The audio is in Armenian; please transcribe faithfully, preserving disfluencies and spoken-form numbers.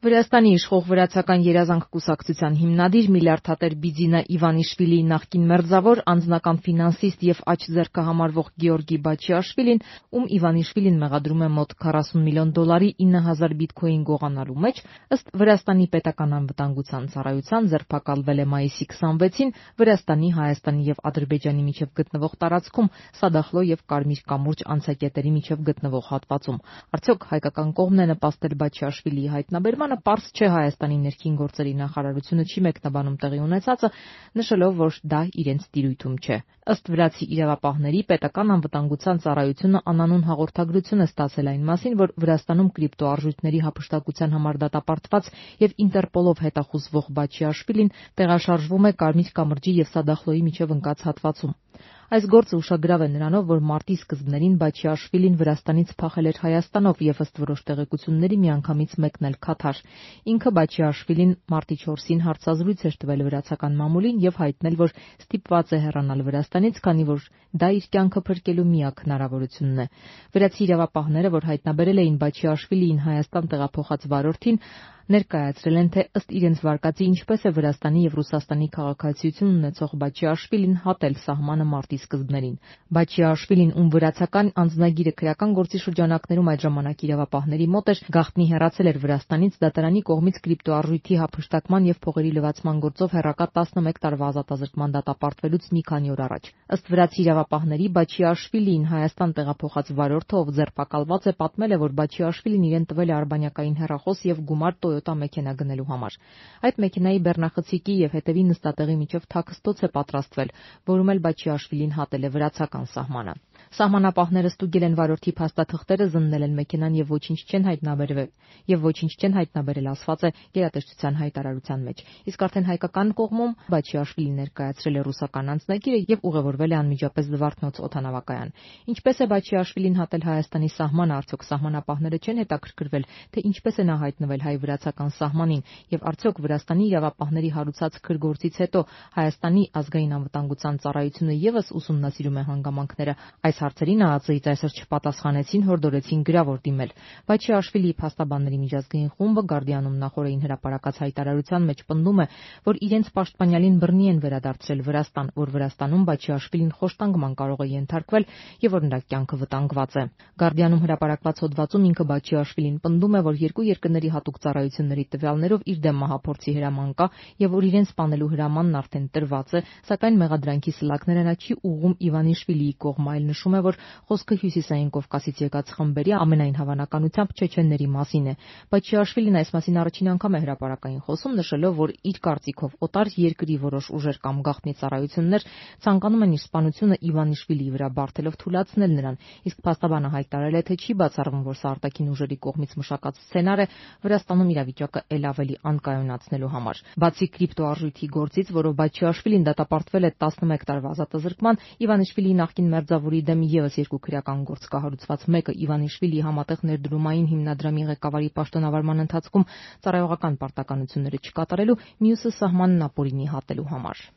Վրաստանի իշխող վրացական երազանք կուսակցության հիմնադիր միլիարդատեր Բիձինա Իվանիշվիլիի նախկին մերձավոր, անձնական ֆինանսիստ եւ աջ ձեռքը համարվող Գեորգի Բաչիաշվիլին, ում Իվանիշվիլին մեղադրում է մոտ քառասուն միլիոն դոլարի ինը հազար բիտքոին գողանալու մեջ, ըստ Վրաստանի պետական անվտանգության ծառայության ձերբակալվել է մայիսի քսանվեցին Վրաստանի, Հայաստանի եւ Ադրբեջանի միջև գտնվող տարածքում Սադախլո եւ Կարմիր կամուրջ անցակետերի միջև գտնվող հատվածում։ Արդյոք հայկական կողմն է նպաստել Բաչիաշվիլիի հայտնաբերմանը? Պարզ չէ Հայաստանի ներքին գործերի նախարարությունը չի մեկնաբանում տեղի ունեցածը, նշելով, որ դա իրենց տիրույթում չէ։ Ըստ վրացի իրավապահների, պետական անվտանգության ծառայությունը անանուն հաղորդագրություն է ստացել այն մասին, որ Վրաստանում կրիպտոարժույթների հափշտակության համար դատապարտված եւ Ինտերպոլով հետախուզվող Բաչիաշվիլին տեղաշարժվում է Կարմիր կամրջի եւ Սադախլոյի միջև ընկած հատվածում։ Այս գործը ուշագրավ է նրանով, որ մարտի սկզբներին Բաչիաշվիլին Վրաստանից փախել էր Հայաստանով եւ ըստ որոշ տեղեկությունների միանգամից մեկնել Քաթար։ Ինքը Բաչիաշվիլին մարտի չորսին հարցազրույց էր տվել վրացական մամուլին եւ հայտնել, որ ստիպված է հեռանալ Վրաստանից, քանի որ դա իր կյանքը փրկելու միակ հնարավորությունն է։ Վրացի իրավապահները, որ հայտնաբերել էին Բաչիաշվիլիին Հայաստան տեղափոխած վարորդին, ներկայացրել են, թե ըստ իրենց վարկածի ինչպես է Վրաստանի եւ Ռուսաստանի քաղաքացիություն ունեցող Բաչիաշվիլին հատել սահմանը մարտի սկզբներին։ Բաչիաշվիլին, ում վրացական անձնագիրը քրեական գործի շրջանակներում այդ ժամանակ իրավապահների մոտ էր, գաղտնի հեռացել էր Վրաստանից դատարանի կողմից կրիպտոարժույթի հափշտակման եւ փողերի լվացման գործով հեռակա տասնմեկ տարվա ազատազրկման դատապարտվելուց մի քանի օր առաջ։ Ըստ վրացի իրավապահների, Բաչիաշվիլիին Հայաստան տեղափոխած վարորդը, ով ձերբակալված է, պատմել է, որ Բաչիաշվիլին իրեն տվել է արբանյակային հեռախոս եւ գումար Toyota մեքենա գնելու համար։ Այդ մեքենայի բեռնախցիկի եւ հետևի նստատեղի միջև թաքստոց է պատրաստվել, որում էլ Բաչիաշվիլին հատել է վրացական սահմանը։ Սահմանապահները ստուգել են վարորդի փաստաթղթերը, զննել են մեքենան եւ ոչինչ չեն հայտնաբերվել, եւ ոչինչ չեն հայտնաբերել, ասված է գերատեսչության հայտարարության մեջ։ Իսկ արդեն հայկական կողմում Բաչիաշվիլին ներկայացրել է ռուսական անձնագիրը եւ ուղևորվել է անմիջապես Զվարթնոց օդանավակայան։ Ինչպես է Բաչիաշվիլին հատել Հայաստանի սահմանը, արդյոք սահմանապահները չեն հետաքրքրվել, թե ինչպես է նա հայտնվել հայ-վրացական սահմանին եւ արդյոք Վրաստանի իրավապահների հարուցած քրգործից հետո Հայաստանի ազգային անվտանգության ծառայությունը եւս ուսումնասիրում է հանգամանքները։ Այս հարցերին ԱԱԾ-ից այսօր չպատասխանեցին, հորդորեցին գրավոր դիմել։ Բաչիաշվիլիի փաստաբանների միջազգային խումբը Գարդիանում նախորդին հրապարակած հայտարարության մեջ պնդում է, որ իրենց պաշտպանյալին բռնի են վերադարձրել Վրաստան, որ Վրաստանում Բաչիաշվիլին խոշտանգման կարող է ենթարկվել եւ որ նրա կյանքը վտանգված է։ Գարդիանում հրապարակված հոդվածում ինքը Բաչիաշվիլին պնդում է, որ երկու երկրների հատուկ ծառայությունների տվյալներով իր դեմ մահափորձի հրաման կա եւ որ իրեն սպանելու հրամանն արդեն տրված է, սակայն մեղադրանքի սլաքները նա չի ուղղում Իվանիշվիլիի կողմ, այլ նշում է, որ խոսքը Հյուսիսային Կովկասից եկած խմբերի, ամենայն հավանականությամբ չեչենների մասին է։ Բաչիաշվիլին այս մասին առաջին անգամ է հրապարակային խոսում, նշելով, որ իր կարծիքով օտար երկրի որոշ ուժեր կամ գաղտնի ծառայություններ ցանկանում են իր սպանությունը Իվանիշվիլիի վրա բարդելով թույլատնել նրան, իսկ փաստաբանը հայտարարել է, թե չի բացառվում, որ սա արտաքին ուժերի կողմից մշակած սցենար է Վրաստանում իրավիճակը ել ավելի անկայունացնելու համար։ Բացի կրիպտոարժույթի գործից, որով Բաչիաշվիլին դատապարտվել է տասնմեկ տարվա ազատազրկման, Իվանիշվիլիի նախկին մերձավորի դեմ եւս երկու քրեական գործ կա հարուցված, մեկը Իվանիշվիլիի համատեղ ներդրումային հիմնադրամի ղեկավարի պաշտոնավարման ընթացքում ծառայողական պարտականությունները չկատարելու, մյուսը սահմանն ապօրինի հատելու համար։